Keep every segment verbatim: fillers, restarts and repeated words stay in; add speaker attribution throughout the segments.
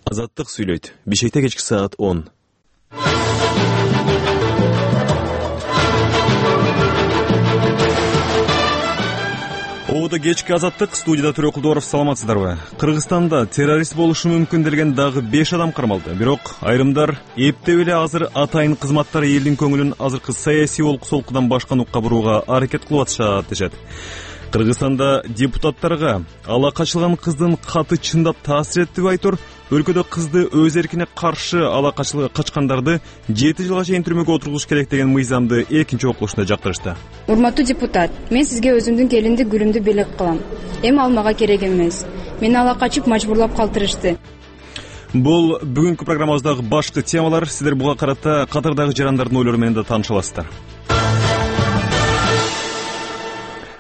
Speaker 1: Азаттык сүйлөйт. Бишкекте кечки саат он. Оодо кечки Азаттык, студияда Төрө Кулдуаров. Саламатсыздарбы? Кыргызстанда террорист болушу мүмкүн делген дагы беш адам кармалды. Бирок айрымдар эптеп эле азыр атайын кызматтар элдин көңүлүн азыркы саясий олку-солкудан башка нукка бурууга аракет кылып атышат дешет. Кыргызстанда депутаттарга ала качылган кыздын каты чындап таасир этти деп айтор. Өлкөдө кызды өз эркине каршы ала качкандарды жети жылга чейин түрмөгө отургузуш керек деген мыйзамды экинчи окуушунда жактырышты.
Speaker 2: Урматтуу депутат, мен сизге өзүмдүн келинди гүлүмдү белек кылам. Эми ал мага керек эмес. Мени ала качып мажбурлап калтырышты.
Speaker 1: Бул бүгүнкү программабыздагы башкы темалар. Сиздер буга карата катардагы жарандардын ойлору менен да тааныша аласыздар.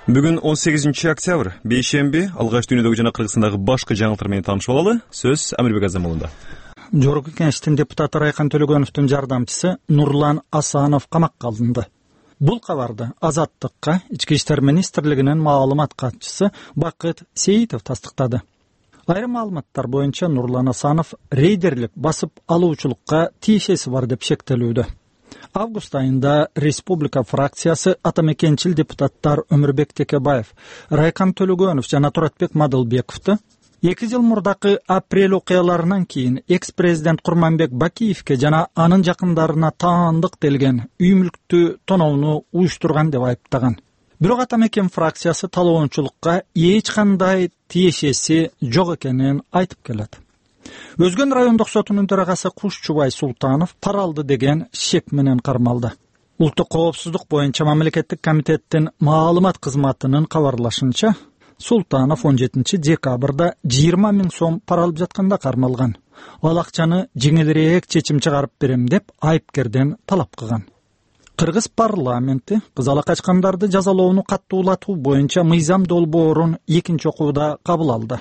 Speaker 1: Бүгүн он сегизинчи октябрь, бейшемби. Алгач дүйнөдөгү жана Кыргызстандагы башкы жаңылыктар менен таанышып алалы. Сөз Амирбек Азамулунда.
Speaker 3: Жогорку Кеңештин депутаты Райкан Төлөгөновдун жардамчысы Нурлан Асанов камакка алынды. Бул кабарды Азаттыкка Ички иштер министрлигинин маалымат катчысы Бакыт Сейитов тастыктады. Айрым маалыматтар боюнча Нурлан Асанов рейдерлик басып алуучулукка тиешеси бар деп шектелүүдө. Август айында республика фракциясы атамекенчил депутаттар Өмүрбек Текебаев, Райкан Төлөгөнов жана Туратбек Мадылбековду эки жыл мурдакы апрель окуяларынан кийин экс-президент Курманбек Бакиевке жана анын жакындарына таандык делген үй мүлктү тоноону уюштурган деп айыптаган. Бирок атамекен фракциясы талоончулукка эч кандай тиешеси жок экенин айтып келет. Өзгөн райондук сотунун төрагасы Кушчубай Султанов пара алды деген шек менен кармалды. Улуттук коопсуздук боюнча мамлекеттик комитеттин маалымат кызматынын кабарлашынча, Султанов он жетинчи декабрда жыйырма миң сом пара алып жатканда кармалган. Ал акчаны жеңилирээк чечим чыгарып берем деп айыпкерден талап кылган. Кыргыз парламенти кыз ала качкандарды жазалоону каттуулатуу боюнча мыйзам долбоорун экинчи окууда кабыл алды.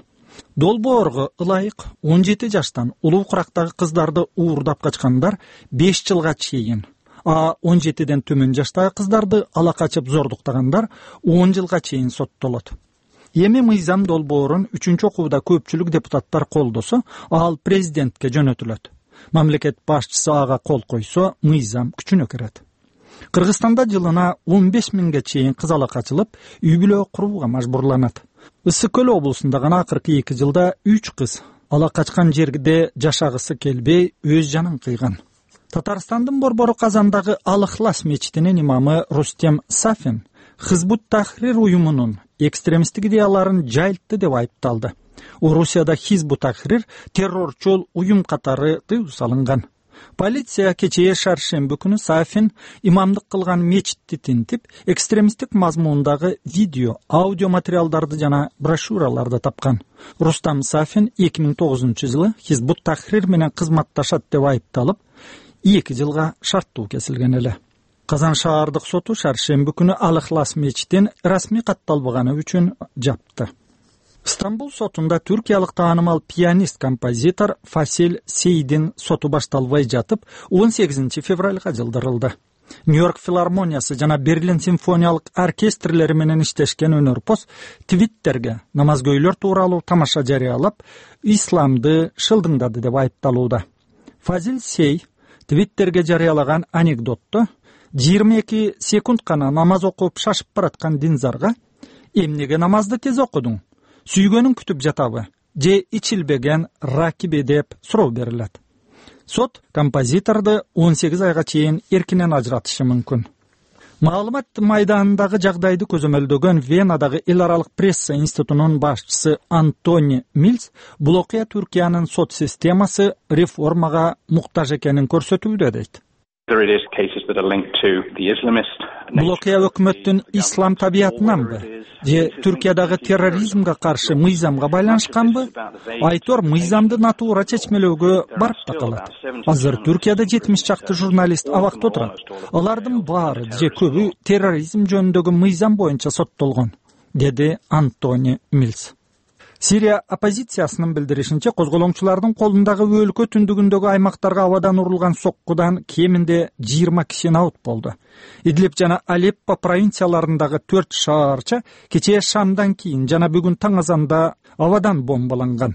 Speaker 3: Долбоорго ылайык он жети жаштан улуу курактагы кыздарды уурдап качкандар беш жылга чейин, а он жетиден төмөн жаштагы кыздарды ала качып зордуктагандар он жылга чейин соттолот. Эми мыйзам долбоорун үчүнчү окууда көпчүлүк депутаттар колдосо, ал президентке жөнөтүлөт. Мамлекет башчысы ага кол койсо, мыйзам күчүнө кирет. Кыргызстанда жылына он беш миңге чейин кыз ала качылып, үй бүлө курууга мажбурланат. Ысык көл облусунда гана акыркы эки жылда үч кыз ала качкан жерде жашагысы келбей өз жанын кыйган. Татарстандын Борбору Казандагы Ал-Ихлас мечитинин имамы Рустем Сафин Хизбут Тахрир уюмунун экстремисттик идеяларын жайылтты деп айыпталды. Орусияда Хизбут Тахрир террорчул уюм катары тыюу салынган. Полиция кечээ шаршемби күнү Сафин имамдык кылган мечитти тинтип, экстремисттик мазмундагы видео, аудио материалдарды жана брошюраларды тапкан. Рустам Сафин эки миң тогузунчу жылы Хизбут Тахрир менен кызматташат деп айыпталып, эки жылга шарттуу кесилген эле. Казан шаардык соту шаршемби күнү Ал-Ихлас мечитин расмий катталбаганы үчүн жапты. Стамбул сотунда түркиялык таанымал пианист-композитор Фасил Сейдин соту башталбай жатып, он сегизинчи февралга жылдырылды. Нью-Йорк филармониясы жана Берлин симфониялык оркестрлери менен иштешкен өнөрпоз Твиттерге намазгөйлөр тууралуу тамаша жарыялап, исламды шылдыңдады деп айыпталууда. Фазил Сей Твиттерге жарыялаган анекдотто жыйырма эки секунд гана намаз окуп шашып бараткан динзарга «Эмнеге намазды тез окудуң? Сүйгөнүң күтүп жатабы? Же ичилбеген ракиби?» деп суроо берилет. Сот композиторду он сегиз айга чейин эркинен ажыратышы мүмкүн. Маалымат майданындагы жагдайды көзөмөлдөгөн Венадагы эл аралык пресса институтунун башчысы Антони Милс бул окуя Түркиянын сот системасы реформага муктаж экенин көрсөтүүдө дейт. Бул окуя өкмөттүн ислам табиятынанбы же Түркиядагы терроризмге каршы мыйзамга байланышканбы? Айтор мыйзамды натуура чечмелөөгө барып да калат. Азыр Түркияда жетимиш чакты журналист абакта отурат. Алардын баары же көбү терроризм жөнүндөгү мыйзам боюнча соттолгон, деди Антони Милс. Сирия оппозициясынын билдиришинче, козголоңчулардын колундагы өлкө түндүгүндөгү аймактарга абадан урулган соккудан кеминде жыйырма киши наут болду. Идлиб жана Алеппо провинцияларындагы төрт шаарча кечээ шамдан кийин жана бүгүн таң азанда абадан бомбаланган.